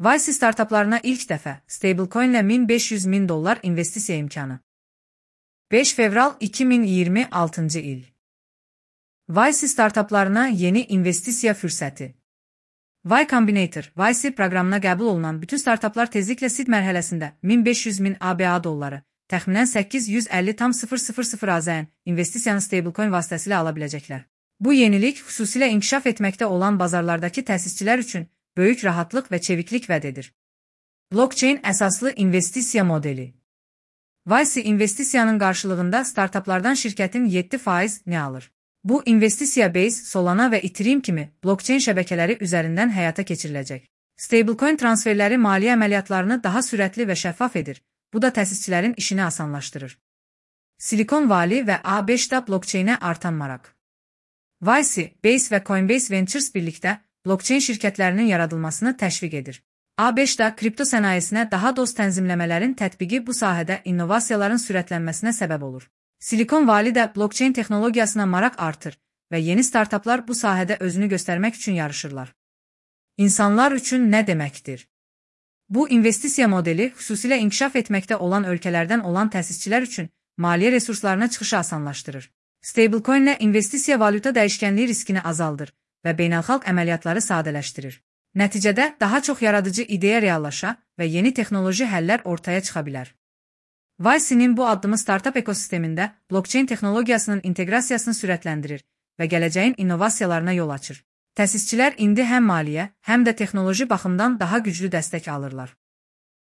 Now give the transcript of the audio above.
YC startaplarına ilk dəfə stablecoin ilə $1500.000 investisiya imkanı. 5 fevral 2026 il. YC startaplarına yeni investisiya fürsəti. Y Combinator, YC proqramına qəbul olunan bütün startaplar tezliklə seed mərhələsində $1500.000 ABA, təxminən 850,000 AZN investisiyanı stablecoin vasitəsilə ala biləcəklər. Bu yenilik xüsusilə inkişaf etməkdə olan bazarlardakı təsisçilər üçün böyük rahatlıq və çeviklik vəd edir. Blockchain əsaslı investisiya modeli. YC investisiyanın qarşılığında startaplardan şirkətin 7%-ni alır. Bu investisiya Base, Solana və Ethereum kimi blockchain şəbəkələri üzərindən həyata keçiriləcək. Stablecoin transferləri maliyyə əməliyyatlarını daha sürətli və şəffaf edir. Bu da təsisçilərin işini asanlaşdırır. Silicon Valley və A5-da blockchainə artan maraq. YC, Base və Coinbase Ventures birlikdə blockchain şirkətlərinin yaradılmasını təşviq edir. A5-da kripto sənayesinə daha dost tənzimləmələrin tətbiqi bu sahədə innovasiyaların sürətlənməsinə səbəb olur. Silicon Valley-də blockchain texnologiyasına maraq artır və yeni startaplar bu sahədə özünü göstərmək üçün yarışırlar. İnsanlar üçün nə deməkdir? Bu investisiya modeli xüsusilə inkişaf etməkdə olan ölkələrdən olan təsisçilər üçün maliyyə resurslarına çıxışı asanlaşdırır. Stablecoin ilə investisiya valyuta dəyişkənliyi riskini azaldır və beynəlxalq əməliyyatları sadələşdirir. Nəticədə daha çox yaradıcı ideya reallaşa və yeni texnoloji həllər ortaya çıxa bilər. YC-nin bu addımı startup ekosistemində blockchain texnologiyasının inteqrasiyasını sürətləndirir və gələcəyin innovasiyalarına yol açır. Təsisçilər indi həm maliyyə, həm də texnoloji baxımdan daha güclü dəstək alırlar.